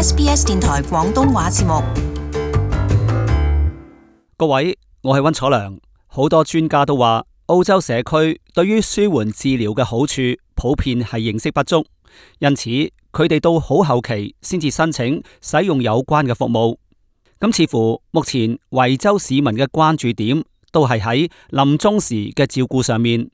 SBS 電台廣東話節目。各位，我係溫楚良。好多專家都話，澳洲社區對於舒緩治療嘅好處普遍係認識不足，因此佢哋到好後期先至申請使用有關嘅服務。咁似乎目前維州市民嘅關注點都係喺臨終時嘅照顧上面，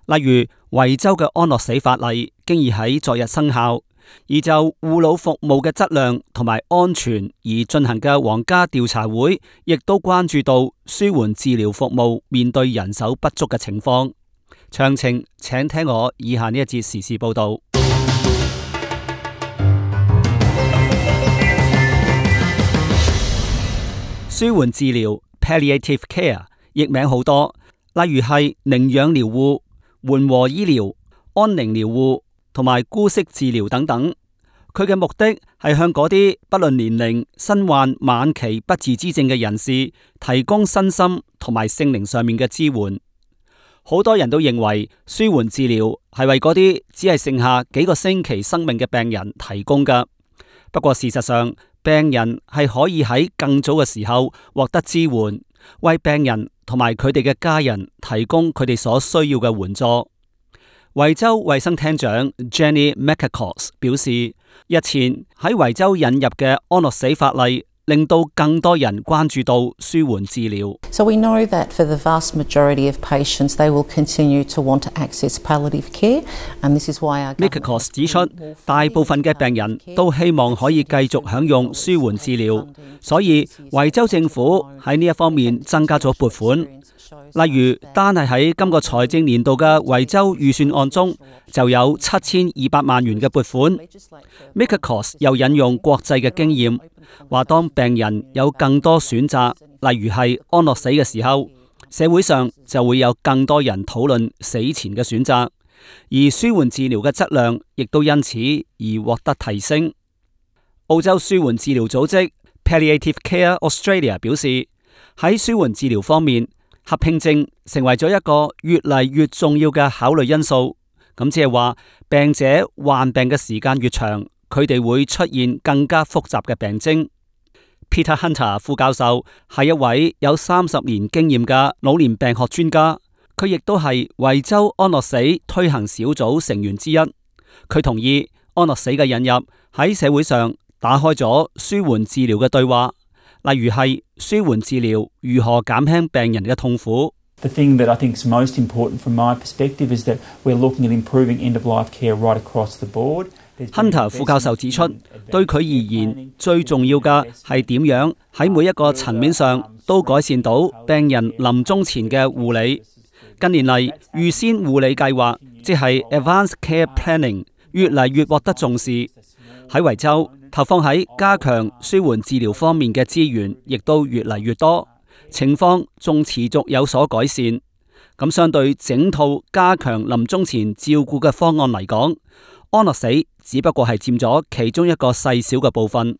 例如維州嘅安樂死法例經已喺昨日生效，而就護老服務嘅質量同埋安全而進行嘅皇家調查會，亦都關注到舒緩治療服務面對人手不足嘅情況。詳情請聽我以下呢一節時事報道。舒緩治療 （palliative care） 譯名好多，例如係寧養療護、緩和醫療、安寧療護同埋姑息治療等等。佢嘅目的係向嗰啲不論年齡、身患晚期不治之症嘅人士提供身心同埋性靈上面嘅支援。好多人都認為舒緩治療係為嗰啲只係剩下幾個星期生命嘅病人提供㗎。不過事實上，病人係可以喺更早嘅時候獲得支援，為病人同埋佢哋嘅家人提供佢哋所需要嘅援助。維州衛生廳長 Jenny McAcos 表示，日前喺維州引入嘅安樂死法例，令到更多人關注到舒緩治療。So we know that for the vast majority of patients, they will continue to want to access palliative care, and this is why our McAcos 指出，大部分嘅病人都希望可以繼續享用舒緩治療，所以維州政府喺呢一方面增加咗撥款。例如，單係喺今個財政年度嘅維州預算案中，就有7200萬元嘅撥款。McAcos 又引用國際嘅經驗，話當病人有更多選擇，例如係安樂死嘅時候，社會上就會有更多人討論死前嘅選擇，而舒緩治療嘅質量亦都因此而獲得提升。澳洲舒緩治療組織 Palliative Care Australia 表示，喺舒緩治療方面，合併症成為咗一個越嚟越重要嘅考慮因素。咁即係話，病者患病嘅時間越長，佢哋會出現更加複雜嘅病徵。Peter Hunter 副教授係一位有30年經驗嘅老年病學專家，佢亦都係維州安樂死推行小組成員之一。佢同意安樂死嘅引入喺社會上打開咗舒緩治療嘅對話，例如係舒緩治療如何減輕病人嘅痛苦。The thing that I think is most important from my perspective is that we're looking at improving end-of-life care right across the board. Hunter 副教授指出，對佢而言，最重要嘅係點樣喺每一個層面上都改善到病人臨終前嘅護理。近年嚟，預先護理計劃，即係 Advanced Care Planning， 越嚟越獲得重視。喺維州，投放喺加強舒緩治療方面嘅資源，亦都越嚟越多，情況仲持續有所改善。咁相對整套加強臨終前照顧嘅方案嚟講，安樂死只不過係佔咗其中一個細小嘅部分。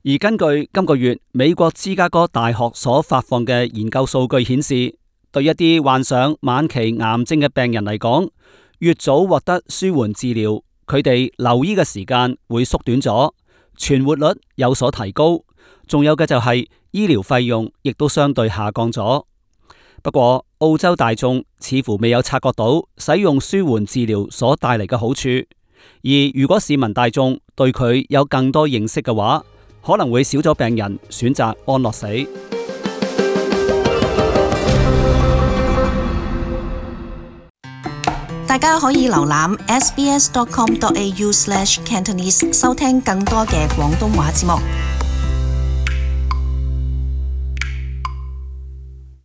而根據今個月美國芝加哥大學所發放嘅研究數據顯示，對一啲患上晚期癌症嘅病人嚟講，越早獲得舒緩治療，佢哋留醫嘅時間會縮短咗，存活率有所提高，仲有嘅就係醫療費用亦都相對下降咗。不過澳洲大眾似乎未有察覺到使用舒緩治療所帶嚟嘅好處，而如果市民大眾對佢有更多認識嘅話，可能會少咗病人選擇安樂死。大家可以瀏覽 sbs.com.au/Cantonese 收聽更多嘅廣東話節目。